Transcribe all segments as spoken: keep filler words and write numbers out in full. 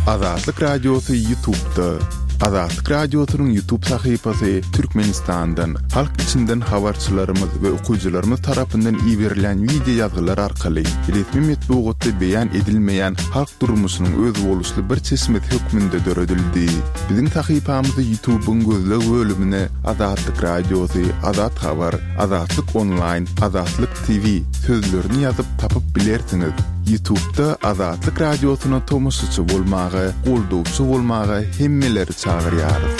Azatlyk Radiosy YouTube'da. Azatlyk Radiosynyň YouTube sahypasy Türkmenistandan, halk içinden habarçylarymyz we okyjylarymyz tarapyndan iberilen wideo ýazgylar arkaly resmi metbugatda beýan edilmeýän halk durmuşynyň özboluşly bir çeşmesi hökmünde döredildi. Biziň sahypamyzy YouTube'yň gözleg bölümine Azatlyk Radiosy, Azat Habar, Azatlyk Online, Azatlyk T V sözlerini ýazyp tapyp bilersiňiz. YouTube'da Azatlyk Radiosyna tomaşaçy bolmaga, goldawçy bolmaga hemmeleri çagyrýarys.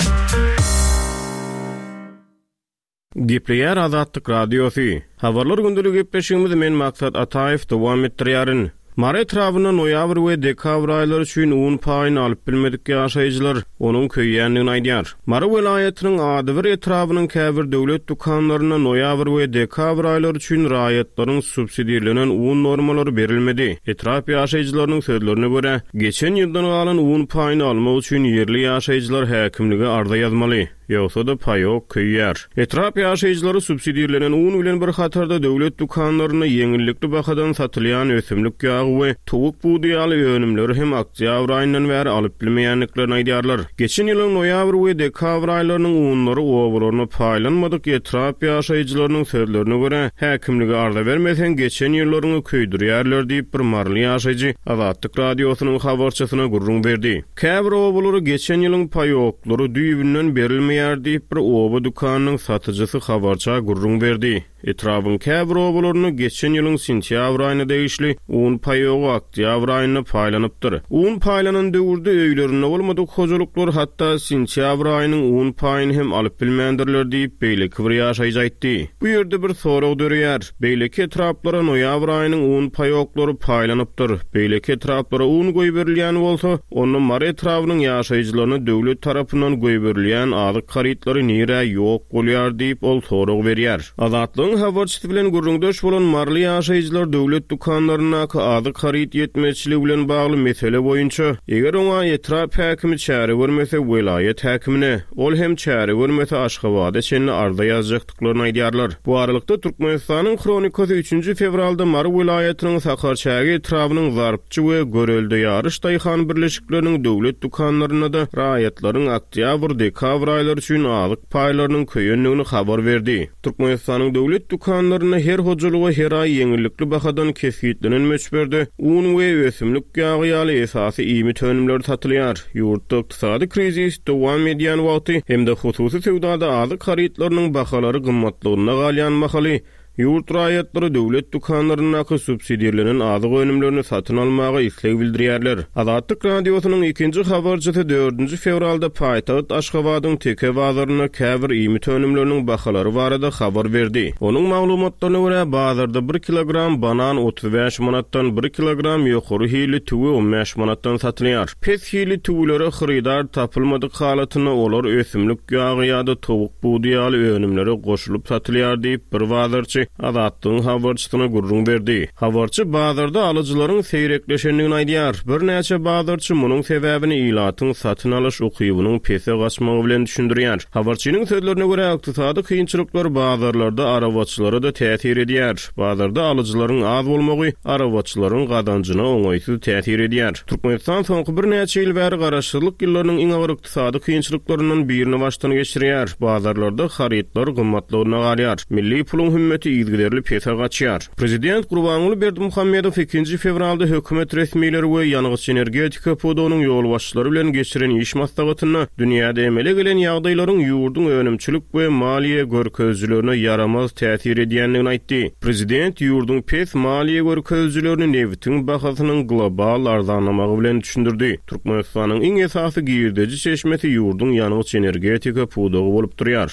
Gepleýär Azatlyk Radiosy. Habarlar gündelik gepleşigimizi men Maksat Ataýew dowam etdirýärin. Mary etrabynda noýabr we dekabr aýlary üçin un paýyny alyp bilmedik ýaşaýjylar onuň köýýändigini aýdýar. Mary welaýatynyň Adybir etrabynyň käbir döwlet dükanlarynda noýabr we dekabr aýlary üçin raýatlaryň subsidirlenen un normalary berilmedi. Etrap ýaşaýjylarynyň sözlerine görä, geçen ýyldan galan un paýyny almak üçin ýerli ýaşaýjylar häkimlige arza ýazmaly. Ýogsa-da paýok köýýär. Etrap ýaşaýjylary subsidirlenen un bilen bir hatarda döwlet dükanlarynda ýeňillikli bahadan satylýan ösümlik ýagy we towuk budy ýaly önümleri hem oktýabr aýyndan bäri alyp bilmeýändiklerini aýdýarlar. Geçen ýylyň noýabr we dekabr aýlarynyň unlary obalaryna paýlanmadyk etrap ýaşaýjylarynyň sözlerine görä, häkimlige arza bermeseň geçen ýyllaryňy köýdürýärler diýip bir maryly ýaşaýjy Azatlyk Radiosynyň habarçysyna gürrüň berdi. Käbir obalary geçen ýylyň paýoklary düýbünden berilmeýär diýip bir oba dükanynyň satyjysy habarça gürrüň berdi. Etrabın käbir obalarynda geçen ýylyň sentýabr aýyna degişli un paýogy oktýabr aýynda paýlanypdyr. Un paýlanan döwürde öýlerinde bolmadyk hojalyklar hatda sentýabr aýynyň un paýyny hem alyp bilmändirler diýip beýleki bir ýaşaýjy aýtdy. Bu ýerde bir sorag döreýär. Beýleki etraplara noýabr aýynyň un paýoklary paýlanypdyr. Beýleki etraplara un goýberilýän bolsa, onda Mary etrabynyň ýaşaýjylaryna döwlet tarapyndan goýberilýän azyk harytlary nirä ýok bolýar diýip ol sorag berýär. Azatlygyň habarçysy bilen gürrüňdeş bolan maryly ýaşaýjylar döwlet dükanlaryndaky azyk haryt ýetmezçiligi bilen bagly mesele boýunça eger oňa etrap häkimi çäre görmese welaýat häkimine, ol hem çäre görmese Aşgabada çenli arza ýazjakdyklaryny aýdýarlar. Bu aralykda Türkmenistanyň Hronikasy üçünji fewralda Mary welaýatynyň Sakarçäge etrabynyň Zarpçy we Görelde ýaryş daýhan birleşikleriniň döwlet dükanlarynda-da raýatlaryň oktýabr-dekabr aýlary üçin azyk paýlarynyň köýendigini habar berdi. Türkmenistanyň döwlet dükanlarynda her hojalyga her aý ýeňillikli bahadan kesgitlenen möçberde un we ösümlik ýagy ýaly esasy iýmit önümleri satylýar. Ýurtda ykdysady krizis dowam edýän wagty hem-de hususy söwdada azyk harytlarynyň bahalary gymmatlygynda galýan mahaly ýurt raýatlary döwlet dükanlaryndaky subsidirlenen azyk önümlerini satyn almaga isleg bildirýärler. Azatlyk Radiosynyň ikinji habarçysy dördünji fewralda paýtagt Aşgabadyň Teke bazarynda käbir iýmit önümleriniň bahalary barada habar berdi. Onuň maglumatlaryna görä bazarda bir kilogram banan otuz bäş manatdan, bir kilogram ýokary hilli tüwi on bäş manatdan satylýar. Pes hilli tüwülere hyrydar tapylmadyk halatynda olar ösümlik ýagy ýa-da towuk budy ýaly önümlere goşulyp satylýar diýip bir bazarçy Azatlygyň habarçysyna gürrüň berdi. Habarçy bazarda alyjylaryň seýrekleşendigini aýdýar. Birnäçe bazarçy munuň sebäbini ilatyň satyn alyş ukybynyň pese gaçmagy bilen düşündirýär. Habarçynyň sözlerine görä, ykdysady kynçylyklar bazarlarda arabaçylara da täsir edýär. Bazarda alyjylaryň az bolmagy arabaçylaryň gazanjyna oňaýsyz täsir edýär. Türkmenistan soňky birnäçe ýyl bäri garaşsyzlyk ýyllarynyň iň agyr ykdysady kynçylyklaryndan birini başdan geçirýär. Bazarlarda harytlar gymmatlygyna galýar. Milli puluň hümmeti yzygiderli pese gaçýar. Prezident Gurbanguly Berdimuhamedow ikinji fewralda hökümet resmileri we ýangyç energetika pudagynyň ýolbaşçylary bilen geçiren iş maslahatynda dünýäde emele gelen ýagdaýlaryň ýurduň önümçilik we maliýe görkezijilerine ýaramaz täsir edýändigini aýtdy. Prezident ýurduň pes maliýe görkezijilerini nebitiň bahasynyň global arzanlamagy bilen düşündirdi. Türkmenistanyň iň esasy girdeji çeşmesi ýurduň ýangyç energetika pudagy bolup durýar.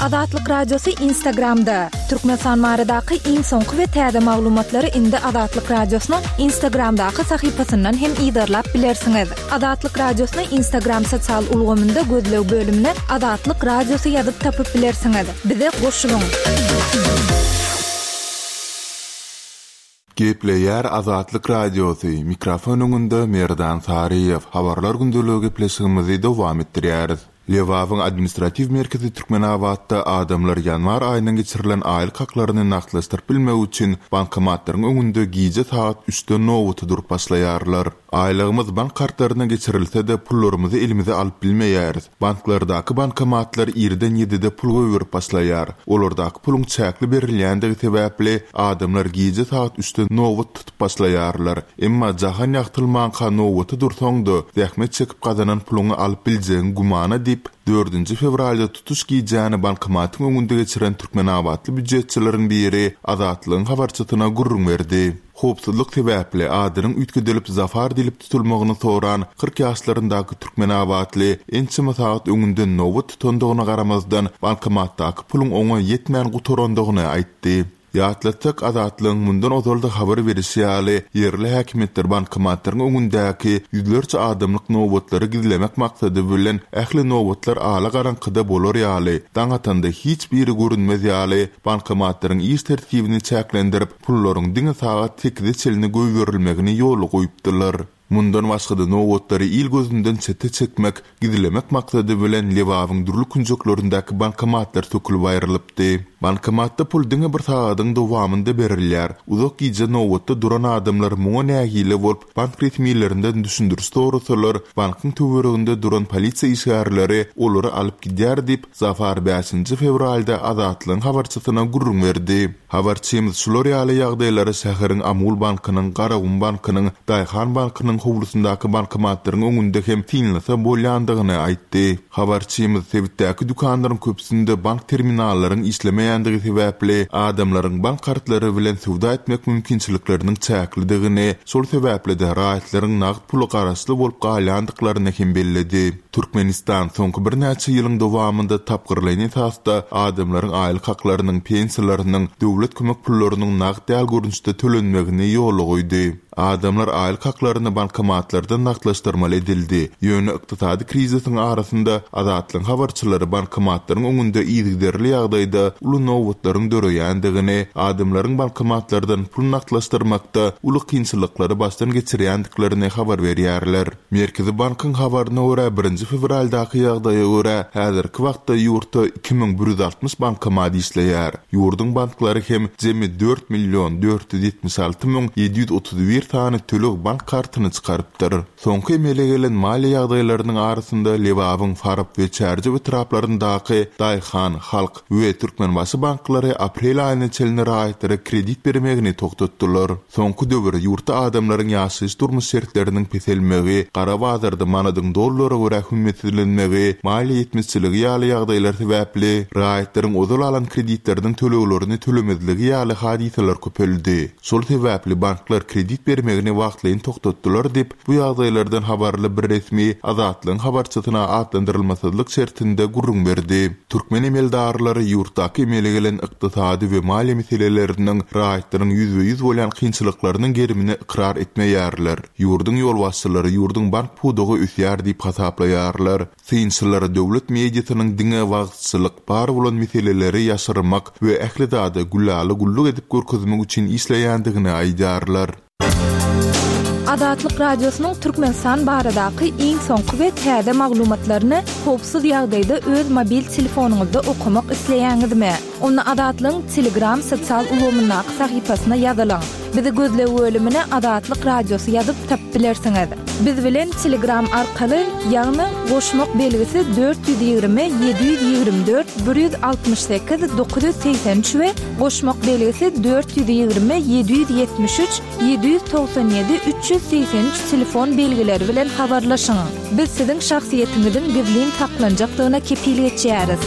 Azatlyk Radiosy Instagramda. Türkmenistan baradaky iň soňky we täze maglumatlary indi Azatlyk Radiosynyň Instagramdaky sahypasyndan hem yzarlap bilersiňiz. Azatlyk Radiosyny Instagram sosial ulgamynda gözleg bölümine Azatlyk Radiosy ýazyp tapyp bilersiňiz. Bize goşulyň. Gepleýär Azatlyk Radiosy. Mikrofon öňünde Merdan Saryýew. Habarlar gündeligi gepleşigimizi dowam etdirýäris. Lebabyň administratiw merkezi Türkmenabatda adamlar ýanwar aýyndan geçirilen aýlyk haklaryny nagtlaşdyryp bilmek üçin bankomatlaryň öňünde gije saat üçden nobata durup başlaýarlar. Aýlygymyz bank kartlaryna geçirilse-de, pullarymyzy elimize alyp bilmeýäris. Banklardaky bankomatlar irden ýedide pul goýberip başlaýar. Olardaky puluň çäkli berilýändigi sebäpli, adamlar gije sagat üçden nobat tutup başlaýarlar. Emma jahan ýagtylmanka nobata dursaň-da, zähmet çekip gazanan puluňy alyp biljegiň gümana diýip, dördünji fewralda tutuş gijäni bankomatyň öňünde geçiren türkmenabatly býujetçileriň biri Azatlygyň habarçysyna gürrüň berdi. Howpsuzlyk sebäpli adynyň üýtgedilip Zafar diýlip tutulmagyny soran kyrk ýaşlaryndaky türkmenabatly ençeme sagat öňünden nobat tutandygyna garamazdan, bankomatdaky puluň oňa ýetmän gutarandygyny aýtdy. Ýatlatsak, Azatlygyň mundan ozal-da habar berişi ýaly, ýerli häkimiýetler bankomatlaryň öňündäki ýüzlerçe adamlyk nobatlary gizlemek maksady bilen ähli nobatlar ala garaňkyda bolar ýaly, daň atanda hiç biri görünmez ýaly, bankomatlaryň iş tertibini çäklendirip, pullaryň diňe sagat sekize çenli goýberilmegini ýola goýupdylar. Mundan başga-da nobatlary il gözünden çete çekmek, gizlemek maksady bilen Lebabyň dürli künjeklerindäki bankomatlar sökülip aýrylypdy. Bankomatda pul diňe bir sagadyň dowamynda berilýär. Uzak gije nobatda duran adamlar muňa nägile bolup, bank resmilerinden düşündiriş sorasalar, bankyň töwereginde duran polisiýa işgärleri olary alyp gidýär diýip, Zafar bäşinji fewralda Azatlygyň habarçysyna gürrüň berdi. Habarçymyz şular ýaly ýagdaýlary şäheriň Amul bankynyň, Garagum bankynyň, Daýhan bankynyň howlusyndaky bankomatlaryň öňünde hem synlasa bolýandygyny aýtdy. Habarçymyz sebitdäki dükanlaryň köpüsinde bank terminallaryň işlemeýändigi sebäpli adamlaryň bank kartlary bilen söwda etmek mümkinçilikleriniň çäklidigini, şol sebäpli-de raýatlaryň nagt pula garaşly bolup galýandyklaryny hem belledi. Türkmenistan soňky birnäçe ýylyň dowamynda tapgyrlaýyn esasda adamlaryň aýlyk haklarynyň, pensiýalarynyň, döwlet kömek pullarynyň nagt däl görnüşde tölenmegini ýola goýdy. Adamlar aýlyk haklaryny bankomatlardan nagtlaşdyrmaly edildi. Ýöne ykdysady krizisiň arasynda Azatlygyň habarçylary bankomatlaryň öňünde yzygiderli ýagdaýda uly nobatlaryň döreýändigini, adamlaryň bankomatlardan pul nagtlaşdyrmakda uly kynçylyklary başdan geçirýändiklerini habar berýärler. Merkezi bankyň habaryna görä, birinji fewraldaky ýagdaýa görä, häzirki wagtda ýurtda iki müň bir ýüz altmyş bankomat işleýär. Ýurduň banklary hem jemi dört million dört ýüz ýetmiş alty müň ýedi ýüz otuz bir sany töleg bank kartyny çykarypdyr. Soňky emele gelen maliýe ýagdaýlarynyň arasynda Lebabyň Farap we Çärjew etraplaryndaky Daýhan, Halk we Türkmenbaşy banklary aprel aýyna çenli raýatlara kredit bermegini togtatdylar. Soňky döwür ýurtda adamlaryň ýaşaýyş-durmuş şertleriniň peselmegi, gara bazarda manadyň dollara görä hümmetsizlenmegi, maliýe ýetmezçiligi ýaly ýagdaýlar sebäpli raýatlaryň ozal alan kreditleriniň töleglerini tölemezligi ýaly hadysalar köpeldi. Şol sebäpli banklar kredit bermegini wagtlaýyn togtatdylar diýip, bu ýagdaýlardan habarly bir resmi Azatlygyň habarçysyna atlandyrylmasyzlyk şertinde gürrüň berdi. Türkmen emeldarlary ýurtdaky emele gelen ykdysady we maliýe meseleleriniň raýatlaryň ýüzbe-ýüz bolýan kynçylyklarynyň gerimini ykrar etmeýärler. Ýurduň ýolbaşçylary ýurduň bank pudagy ösýär diýip hasaplaýarlar. Synçylar döwlet mediasynyň diňe wagyzçylyk, bar bolan meseleleri ýaşyrmak we ähli zady gülala-güllük edip görkezmek üçin işleýändigini aýdýarlar. Azatlyk Radiosynyň Türkmenistan baradaky iň soňky we täze maglumatlaryny howpsuz ýagdaýda öz mobil telefonyňyzda okamak isleýäňizmi? Onda Azatlygyň Telegram sosial ulgamyndaky sahypasyna ýazylyň. Bizi gözleg bölümine Azatlyk Radiosy ýazyp tapyp bilersiňiz. Biz bilen Telegram arkaly, ýagny goşmak belgisi dört ýüz ýigrimi ýedi ýüz ýigrimi dört bir ýüz altmyş sekiz dokuz ýüz segsen üç we goşmak belgisi dört ýüz ýigrimi ýedi ýüz ýetmiş üç ýedi ýüz togsan ýedi üç ýüz segsen üç telefon belgileri bilen habarlaşyň. Biz siziň şahsyýetiňiziň gizlin saklanjakdygyna kepil geçýäris.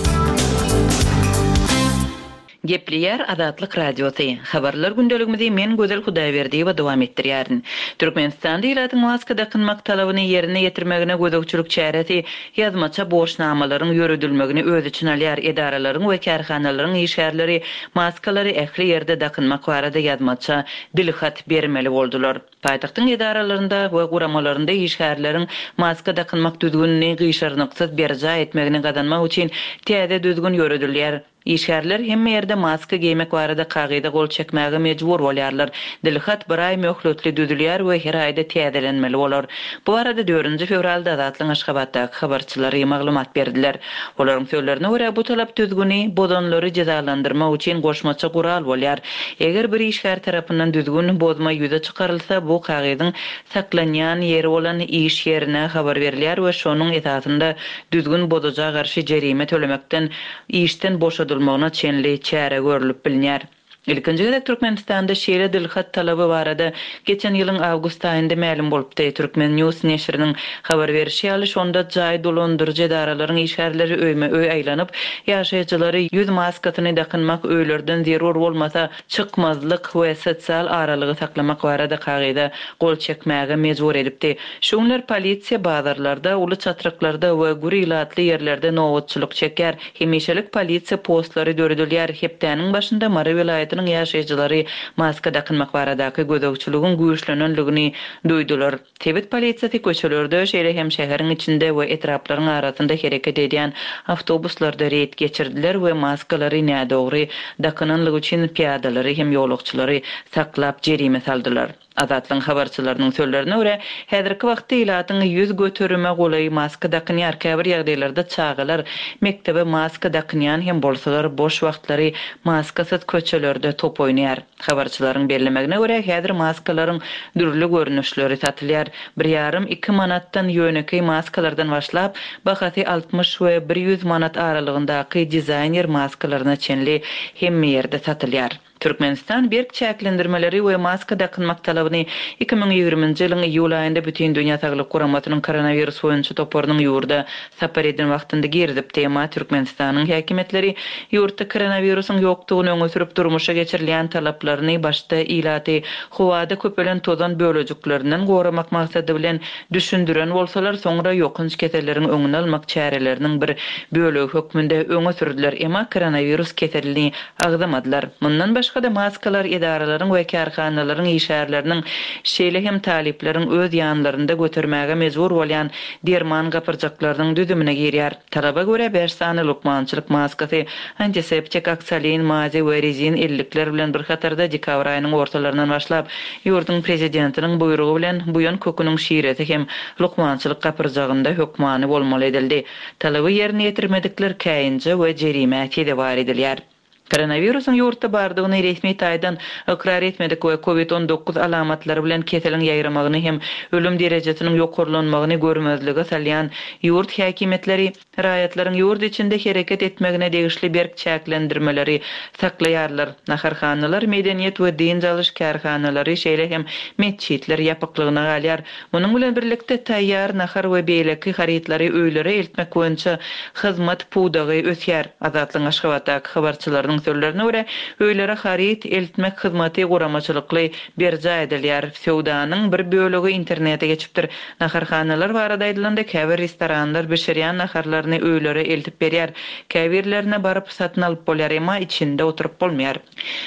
Gepleýär Azatlyk Radiosy. Habarlar gündeligimizi men Gözel Hudaýberdiýewa dowam etdirýärin. Türkmenistanda ilatyň maska dakynmak talabyny ýerine ýetirmegine gözegçilik çäresi ýazmaça borçnamalaryň ýöredilmegini öz içine alýar. Edaralaryň we kärhanalaryň işgärleri maskalary ähli ýerde dakynmak barada ýazmaça dilhat bermeli boldular. Paýtagtyň edaralarynda we guramalarynda işgärleriň maska dakynmak düzgünini gyşarnyksyz berjaý etmegini gazanmak üçin täze düzgün ýöredilýär. Işgärler hemme ýerde maska geýmek barada kagyza gol çekmäge mejbur bolýarlar. Dilhat bir aý möhletli düzülýär we her aýda täzelenmeli bolar. Bu barada dördünji fewralda Azatlygyň Aşgabatdaky habarçylary maglumat berdiler. Olaryň sözlerine görä, bu talap düzgüni bozanlary jezalandyrmak üçin goşmaça gural bolýar. Eger bir işgär tarapyndan düzgün bozma ýüze çykarylsa, bu kagyzyň saklanýan ýeri bolan iş ýerine habar berilýär we şonuň esasynda düzgün bozuja garşy jerime tölemekden işden boşadylmagyna çenli çäre görülip bilinýär. Ilkinji gezek Türkmenistanda şeýle dilhat talaby barada geçen ýylyň awgust aýynda mälim bolupdy. Türkmen News neşiriniň habar berişi ýaly, şonda jaý dolandyryjy edaralaryň işgärleri öýme-öý aýlanyp, ýaşaýjylary ýüz maskasyny dakynmak, öýlerden zerur bolmasa çykmazlyk we sosial aralygy saklamak barada kagyza gol çekmäge mejbur edipdi. Şu günler polisiýa bazarlarda, uly çatryklarda we gür ilatly ýerlerde nobatçylyk çekýär. Hemişelik polisiýa postlary döredilýär. Hepdäniň başynda Mary welaýatynyň ýaşaýjylary maska dakynmak baradaky gözegçiligiň güýçlenenligini duýdular. Sebit polisiýasy köçelerde, şeýle hem şäheriň içinde we etraplaryň arasynda hereket edýän awtobuslarda reýd geçirdiler we maskalary nädogry dakynanlygy üçin pyýadalary hem ýolagçylary saklap jerime saldylar. Azatlygyň habarçylarynyň sözlerine görä, häzirki wagtda ilatyň ýüz göterime golaý maska dakynýar. Käbir ýagdaýlarda çagalar mekdebe maska dakynýan hem bolsalar, boş wagtlary maskasyz köçelerde top oýnaýar. Habarçylaryň bellemegine görä, häzir maskalaryň dürli görnüşleri satylýar. Bir ýarym iki manatdan ýönekeý maskalardan başlap, bahasy altmyş we bir ýüz manat aralygyndaky dizaýner maskalaryna çenli hemme ýerde satylýar. Türkmenistan berk çäklendirmeleri we maska dakynmak talabyny iki müň ýigriminji ýylyň iýul aýynda Bütindünýä Saglyk Guramasynyň koronawirus boýunça toparynyň ýurda sapar eden wagtynda girizipdi. Emma Türkmenistanyň häkimiýetleri ýurtda koronawirusyň ýokdugyny öňe sürüp durmuşa geçirilýän talaplaryny başda ilaty howada köpelen tozan bölejiklerinden goramak maksady bilen düşündiren bolsalar, soňra ýokanç keselleriň öňüni almak çäreleriniň bir bölegi hökmünde öňe sürdüler. Emma koronawirus keselini agzamadylar. Mundan başga-da maskalar edaralaryň we kärhanalaryň işgärleriniň, şeýle hem talyplaryň öz ýanlarynda götermäge mejbur bolýan derman gapyrjaklarynyň düzümine girýär. Talaba görä bäş sany lukmançylyk maskasy, antiseptik, oksalin, mazi we rezin ellikler bilen bir hatarda dekabr aýynyň ortalaryndan başlap ýurduň prezidentiniň buýrugy bilen buýan köküniň şiresi hem lukmançylyk gapyrjagynda hökmany bolmaly edildi. Talaby ýerine ýetirmedikler käýinje we jerimä sezewar edilýär. Koronawirusyň ýurtda bardygyny resmi taýdan ykrar etmedik we kovid on dokuz alamatlary bilen keseliň ýaýramagyny hem ölüm derejesiniň ýokarlanmagyny görmezlige salýan ýurt häkimiýetleri raýatlaryň ýurt içinde hereket etmegine degişli berk çäklendirmeleri saklaýarlar. Naharhanalar, medeniýet we dynç alyş kärhanalary, şeýle hem metjitler ýapyklygyna galýar. Munuň bilen birlikde taýýar nahar we beýleki harytlary öýlere eltmek boýunça hyzmat pudagy ösýär. Azatlygyň Aşgabatdaky habarçylarynyň sözlerine görä, öýlere haryt eltmek hyzmaty guramaçylykly berjaý edilýär. Söwdanyň bir bölegi internete geçipdir. Naharhanalar barada aýdylanda käbir restoranlar bişirýän naharlaryny öýlere eltip berýär. Käbirlerine baryp satyn alyp bolýar, emma içinde oturyp bolmaýar.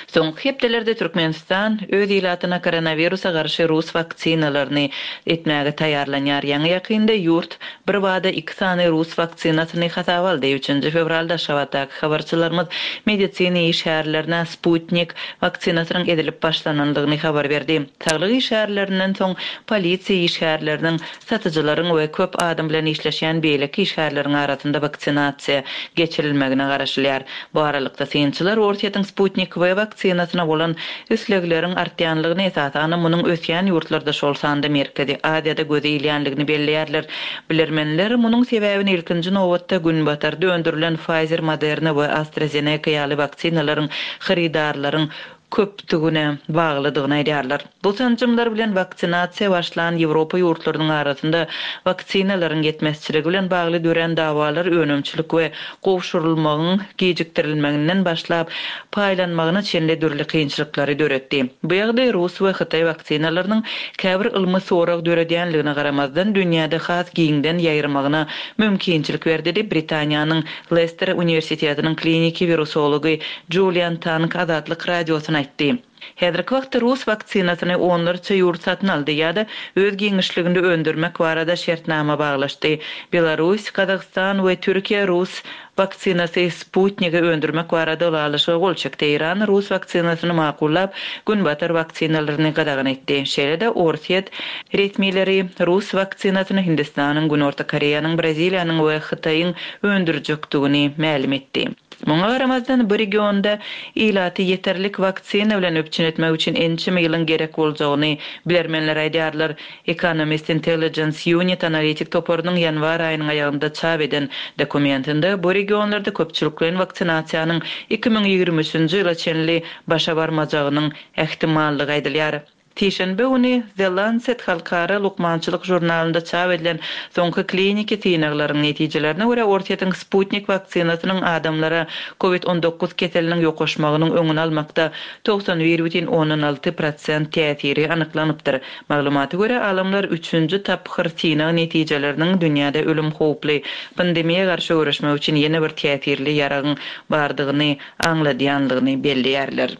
Soňky hepdelerde Türkmenistan öz ilatyna koronawirusa garşy rus waksinalaryny etmäge taýýarlanýar. Ýaňy ýakynda ýurt bir bada iki sany rus waksinasyny hasaba aldy. Üçünji fewralda Aşgabatdaky habarçylarymyz medisina işgärlerine Sputnik waksinasynyň edilip başlanandygyny habar berdi. Saglyk işgärlerinden soň polisiýa işgärleriniň, satyjylaryň we köp adam bilen işleşýän beýleki işgärleriň arasynda waksinasiýa geçirilmegine garaşylýar. Bu aralykda synçylar Orsýetiň Sputnik V waksinasyna bolan islegleriň artýanlygyny, esasan munuň ösýän ýurtlarda, şol sanda Merkezi Aziýada göze ilýänligini belleýärler. Bilermenler munuň sebäbini ilkinji nobatda günbatarda öndürilen Pfizer, Moderna we AstraZeneca ýaly waksinalaryň hyrydarlaryň köpdügine baglydygyny aýdýarlar. Bu sanjymlar bilen waksinasiýa başlan Ýewropa ýurtlarynyň arasynda waksinalaryň ýetmezçiligi bilen bagly dörän dawalar önümçilik we gowşurylmagyň gijikdirilmeginden başlap paýlanmagyna çenli dürli kynçylyklary döretdi. Bu ýagdaý rus we hytaý waksinalarynyň käbir ylmy sorag döredýänligine garamazdan dünýäde has giňden ýaýramagyna mümkinçilik berdi diýip Britaniýanyň Leicester Uniwersitetiniň kliniki wirusology Julian Tang Azatlyk Radiosyna aýtdy. Häzirki wagtda rus waksinasyny onlarça ýurt satyn aldy ýa-da öz giňişliginde öndürmek barada şertnama baglaşdy. Belarus, Gazagystan we Türkiýe rus waksinasy Sputnigi öndürmek barada ylalaşyga gol çekdi. Eýran rus waksinasyny makullap, Günbatar waksinalaryny gadagan etdi. Şeýle-de Orsýet resmileri rus waksinasyny Hindistanyň, Günorta Koreýanyň, Braziliýanyň we Hytaýyň öndürjekdigini mälim etdi. Muňa garamazdan bu regionda ilaty ýeterlik waksina bilen üpjün etmek üçin ençeme ýylyň gerek boljagyny bilermenler aýdýarlar. Economist Intelligence Unit analitik toparynyň ýanwar aýynyň aýagynda çap eden dokumentinde bu regionlarda köpçülikleýin waksinasiýanyň iki müň ýigrimi üçünji ýyla çenli başa barmajagynyň ähtimallygy aýdylýar. Sişenbe güni The Lancet halkara lukmançylyk žurnalynda çap edilen soňky kliniki synaglaryň netijelerine görä Orsýetiň Sputnik waksinasynyň adamlara COVID on dokuz keseliniň ýokaşmagynyň öňüni almakda togsan bir bütin ondan alty prosent täsiri anyklanypdyr. Maglumata görä alymlar üçünji tapgyr synag netijeleriniň dünýäde ölüm howply pandemiýa garşy göreşmek üçin ýene bir täsirli ýaragyň bardygyny aňladýanlygyny belleýärler.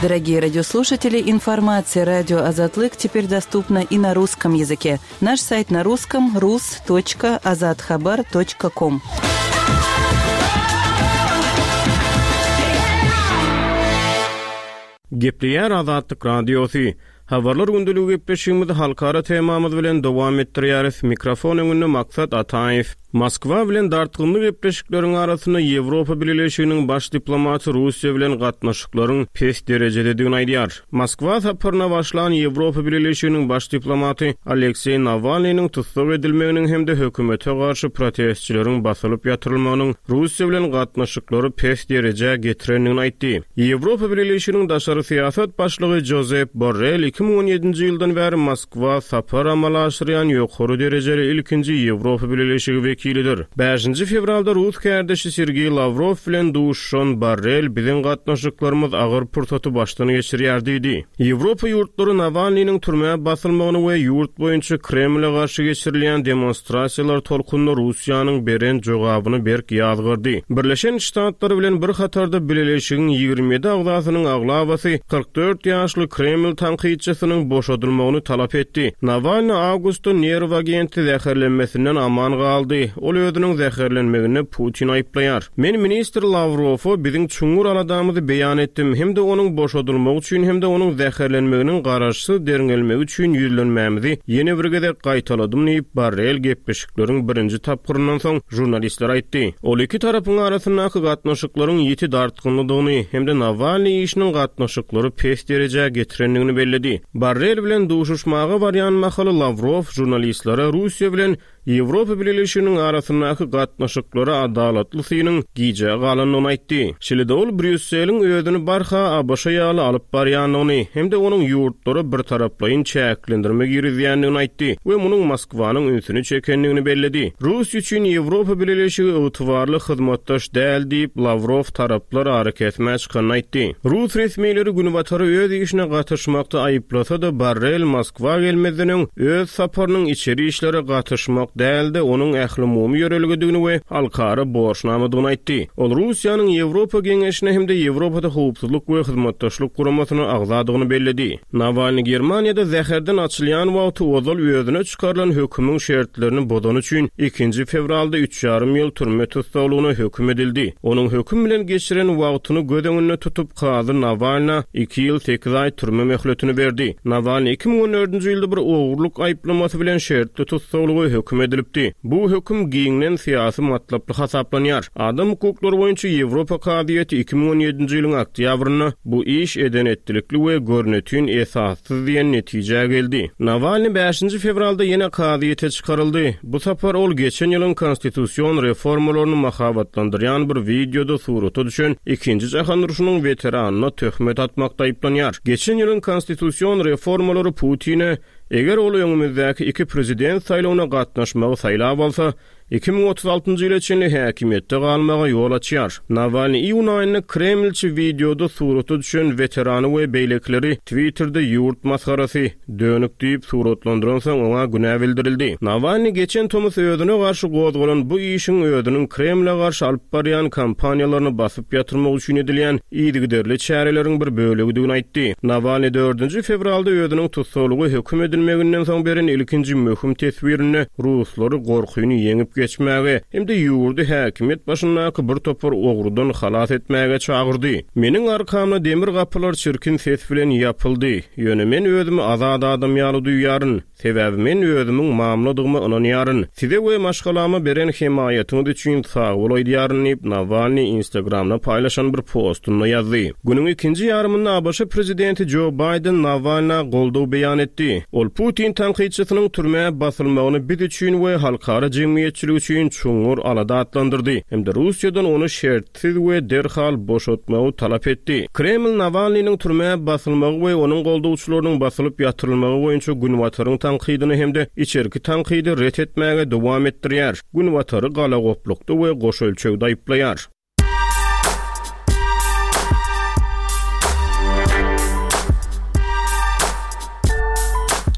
Дорогие радиослушатели, информация радио Азатлык теперь доступна и на русском языке. Наш сайт на русском рус точка азатхабар точка ком. Gepleýär Azatlyk Radiosy. Habarlar gündeligi gepleşigimizi halkara temamyz bilen dowam etdirýäris. Mikrofon öňünde Maksat Ataýew. Moskwa bilen dartgynly gepleşikleriň arasynda Ýewropa Bileleşiginiň baş diplomaty Russiýa bilen gatnaşyklaryň pes derejededigini aýdýar. Moskwa saparyna başlan Ýewropa Bileleşiginiň baş diplomaty Alekseý Nawalnynyň tussag edilmeginiň hem-de hökümete garşy protestçileriň basylyp ýatyrylmagynyň Russiýa bilen gatnaşyklary pes derejä getirendigini aýtdy. Ýewropa Bileleşiginiň daşary syýasat başlygy Josep Borrell iki müň on ýedinji ýyldan bäri Moskwa sapar amala aşyrýan ýokary derejeli ilkinji Ýewropa Bileleşigi wekilidir. Bäşinji fewralda Rus kärdeşi Sergey Lavrov bilen duşuşan Borrell biziň gatnaşyklarymyz agyr pursaty başdan geçirýär diýdi. Ýewropa ýurtlary Nawalnynyň türmä basylmagyny we ýurt boýunça Kremle garşy geçirilýän demonstrasiýalar tolkunynda Russiýanyň beren jogabyny berk ýazgyrdy. Birleşen Ştatlar bilen bir hatarda Bileleşigiň ýigrimi ýedi agzasynyň aglabasy kyrk dört ýaşly Kreml tankytçysynyň boşadylmagyny talap etdi. Nawalny awgustda nerw agenti zäherlenmesinden aman galdy. Ol özüniň zäherlenmegine Putin aýyplaýar. Men ministr Lavrowa biziň çuňňur aladamyzy beýan etdim, hem-de onuň boşadylmagy üçin hem-de onuň zäherlenmeginiň garaşsyz derňelmegi üçin ýüzlenmämizi ýene bir gezek gaýtaladym diýip Borrell gepleşikleriň birinji tapgyryndan soň žurnalistler aýtdy. Ol iki tarapyň arasyndaky gatnaşyklaryň ýiti dartgynlydygyny hem-de Nawalny işiniň gatnaşyklary pes derejä getirendigini belledi. Borrell bilen duşuşmaga barýan mahaly Lavrov žurnalistlere Russiýa bilen Ýewropa Bileleşiginiň arasyndaky gatnaşyklara adalatly synyň gijä galandygyny aýtdy. Şeýle-de ol Brýusseliň özüni barha ABŞ ýaly alyp barýandygyny hem-de onuň ýurtlara bir taraplaýyn çäklendirme girizýändigini aýtdy we munuň Moskwanyň ünsüni çekendigini belledi. Russiýa üçin Ýewropa Bileleşigi ygtybarly hyzmatdaş däl diýip Lavrov taraplar ara kesmä çykanyny aýtdy. Rus resmileri Günbatary öz işine gatyşmakda aýyplasa-da Borrell Moskwa gelmezden öň öz saparynyň içeri işlere gatyşmak dälde onuň ählumumy ýörelgedigini we halkara borçnamadygyny aýtdy. Ol Russiýanyň Ýewropa Geňeşine hem-de Ýewropada howpsuzlyk we hyzmatdaşlyk guramasyna agzadygyny belledi. Nawalny Germaniýada zäherden açylýan wagty ozal özüne çykarylan hökümiň şertlerini bozany üçin ikinji fewralda üç ýarym ýyl türme tussaglygyna höküm edildi. Onuň höküm bilen geçiren wagtyny göz öňünde tutup kazy Nawalna iki ýyl sekiz aý türme möhletini berdi. Nawalny iki müň on dördünji ýylda bir ogurlyk aýyplamasy bilen şertli tussaglyga höküm edilipdi. Bu höküm giňden syýasy matlaply hasaplanýar. Adam hukuklary boýunça Ýewropa kazyýeti iki müň on ýedinji ýylyň oktýabrynda bu iş eden etdilikli we görnetin esassyz diýen netijä geldi. Nawalny bäşinji fewralda ýene kazyýete çykaryldy. Bu sapar ol geçen ýylyň konstitusion reformalaryny mahabatlandyrýan bir wideoda surata düşen ikinji jahan urşunyň weteranyna töhmet atmakda aýyplanýar. Geçen ýylyň konstitusion reformalary Putine eger ol öňümizdäki iki prezident saýlawyna gatnaşmagy saýlap alsa, iki müň otuz altynjy ýyla çenli häkimiýetde galmaga ýol açýar. Nawalny iýun aýynda Kremlçi wideoda surata düşen weterany we beýlekileri Twitter'de ýurt masgarasy dönük diýip suratlandyran soň oňa günä bildirildi. Nawalny geçen tomus özüne garşy gozgalan bu işiň özüniň Kremle garşy alyp barýan kampaniýalaryny basyp ýatyrmak üçin edilýän yzygiderli çäreleriň bir bölegidigini aýtdy. Nawalny dördünji fewralda özüniň tussaglygy höküm edilmeginden soň beren ilkinji möhüm teswirinde Ruslary gorkyny ýeňip geçmäge hem-de ýurdy häkimiýet başyndaky bir topar ogrudan halas etmäge çagyrdy. Meniň arkamda demir gapylar çirkin ses bilen ýapyldy. Ýöne men özümi azat adam ýaly duýýaryn. Sebäbi men özümiň mamladygyma ynanýaryn. Size we maşgalama beren hemaýatyňyz üçin sag bol aýdýaryn diýip Nawalny Instagramda paýlaşan bir postunda ýazdy. Günüň ikinji ýarymynda A B Ş prezidenti Joe Biden Nawalna goldaw beýan etdi. Ol Putin tankytçysynyň türmä basylmagyny biz üçin we halkara jemgyýetçiligi üçin çuňňur alada atlandyrdy. Hem-de Russiýadan ony şertsiz we derhal boşatmagy talap etdi. Kreml Nawalnynyň türmä basylmagy we onuň goldawçylarynyň basylyp ýatyrylmagy boýunça Günbataryň tankydyny hem-de içerki tankydy ret etmäge dowam etdirýär. Günbatary galagoplukda we goş ölçegde aýyplaýar.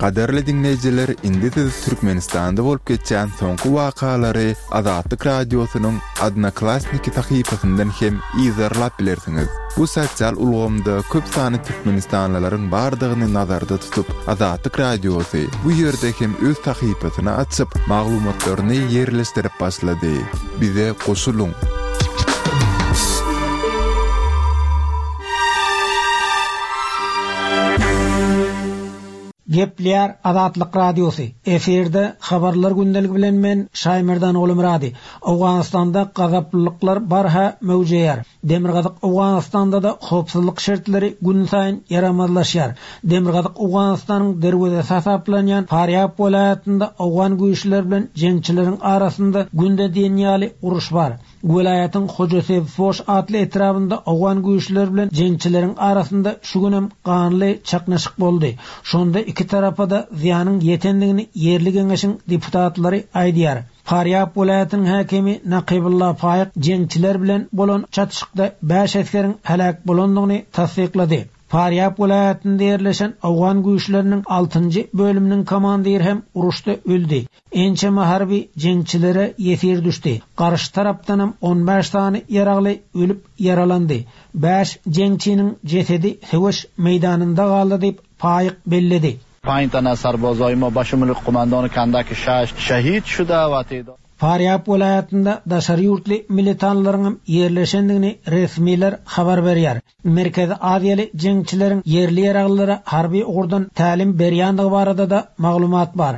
Gadarly dinleýjiler, indi siz Türkmenistanda bolup geçen soňky wakalary Azatlyk radiosynyň Odnoklassniki sahypasyndan hem izarlap bilersiňiz. Bu sosial ulgamda köp sany türkmenistanlylaryň bardygyny nazarda tutup, Azatlyk radiosy bu ýerde hem öz sahypasyny açyp, maglumatlaryny ýerleşdirip başlady. Bize goşulyň. Gepleýär Azatlyk Radiosy. Efirde habarlar gündeligi bilen men Şaýmerdan Oglumyrady. Owganystanda gazaplylyklar barha möwjeýär. Demirgazyk Owganystanda da howpsuzlyk şertleri gün saýyn ýaramazlaşýar. Demirgazyk Owganystanyň derwezesi hasaplanýan Farýab welaýatynda owgan güýçleri bilen jeňçileriň arasynda günde diýen ýaly uruş bar. Welaýatyň Hojasebfoş atly etrabynda owgan güýçleri bilen jeňçileriň arasynda şu günem ganly çaknyşyk boldy. Şonda iki tarapa da zyýanyň ýetendigini ýerli geňeşiň deputatlary aýdýar. Farýab welaýatynyň häkimi Nakybulla Faýyk jeňçiler bilen bolan çatışykda bäş esgeriň heläk bolandygyny tassyklady. Farýab welaýatynda ýerleşen owgan güýçleriniň altynjy bölüminiň komandiri hem uruşda öldi. Ençeme harby jeňçilere ýesir düşdi. Garşy tarapdanam on bäş sany ýaragly ölüp ýaralandy. Bäş jeňçiniň jesedi söweş meýdanynda galdy diýip Faýyk belledi. پنج تن از سربازای ما به شمول قماندان کندک شش شهید شده و تعداد Farýab welaýatynda daşary ýurtly militanlaryň ýerleşendigini resmiler habar berýär. Merkezi Aziýaly jeňçileriň ýerli ýaraglylara harby ugurdan tälim berýändigi barada da maglumat bar.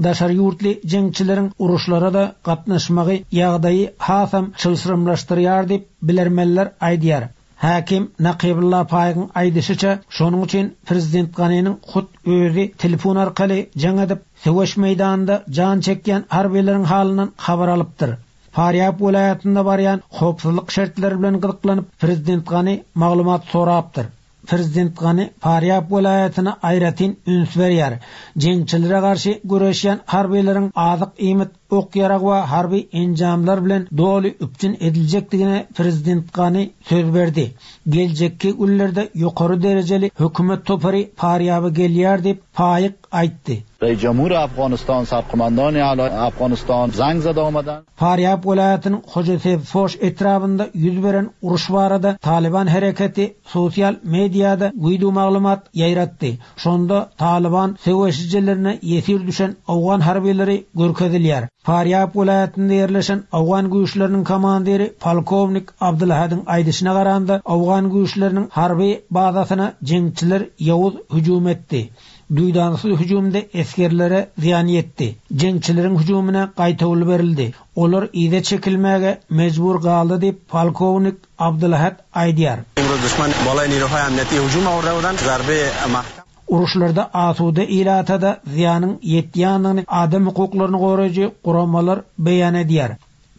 Daşary ýurtly jeňçileriň uruşlara da gatnaşmagy ýagdaýy hasam çylşyrymlaşdyrýar diýip bilermenler aýdýar. Hakim Nakybulla Faýygyň aýdyşyça, şonuň üçin Prezident Ganiniň hut özi telefon arkaly jaň edip, söweş meýdanynda jan çekýän harbileriň halyndan habar alypdyr. Farýab welaýatynda barýan howpsuzlyk şertleri bilen gyzyklanyp, Prezident Gani maglumat sorapdyr. Prezident Gani Farýab welaýatyna aýratyn üns berýär. Jeňçilere garşy göreşýän harbileriň azyk iýmit, ok ýarag we harby enjamlar bilen doly üpjün ediljekdigine Prezident Gani söz berdi. Geljekki günlerde ýokary derejeli hökümet topary Farýaba gelýär diýip Faýyk aýtdy. رئیس جمهور افغانستان، سرقماندان اعلی افغانستان زنگ زده آمدن. Farýab welaýatynyň Hojasebfoş etrabynda ýüz beren uruş barada Taliban hereketi sosial mediada video maglumat ýaýratdy. Şonda Taliban söweşijilerine ýesir düşen owgan harbileri görkezilýär. Farýab welaýatynda ýerleşen owgan güýçleriniň komandiri polkownik Abdulhadyn aýdyşyna garanda owgan güýçleriniň harby bazasyna jeňçiler ýowuz hüjüm etdi. Duýdansyz hüjümde esgerlere zyýan ýetdi. Jeňçileriň hüjümine gaýtawul berildi. Olar ýe çekilmäge mejbur galdy diýip polkownik Abdulhad aýdýar. Imroz düşman balay niruhay amniyeti hüjüm awrda bolan zarbe mahkam Uruşlarda asuda ilatada zyýanyň ýetýändigini adam hukuklaryny goraýjy guramalar beýan edýär.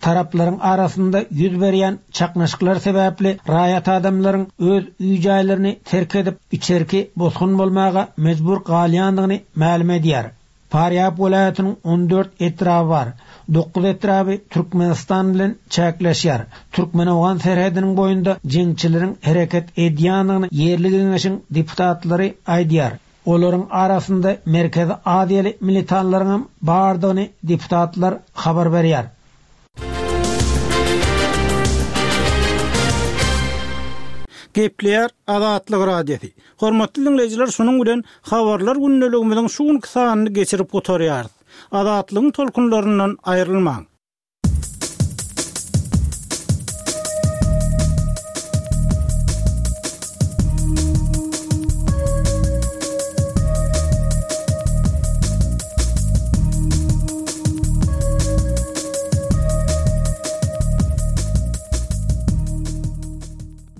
Taraplaryň arasynda ýüz berýän çaknyşyklar sebäpli raýat adamlaryň öz öý-jaýlaryny terk edip içerki bosgun bolmaga mejbur galýandygyny mälim edýär. Farýab welaýatynyň on dört etraby bar. Dokuz etraby Türkmenistan bilen çäkleşýär. Türkmen-owgan serhediniň boýunda jeňçileriň hereket edýändigini ýerli geňeşiň deputatlary aýdýar. Olaryň arasynda Merkezi Aziýaly militanlaryň bardygyny deputatlar habar berýär. Gepleýär Azatlyk Radiosy. Hormatly dinleýjiler, şunuň bilen habarlar gündeligimiziň şu günki sanyny geçirip gutarýarys. Azatlygyň tolkunlaryndan aýrylmaň.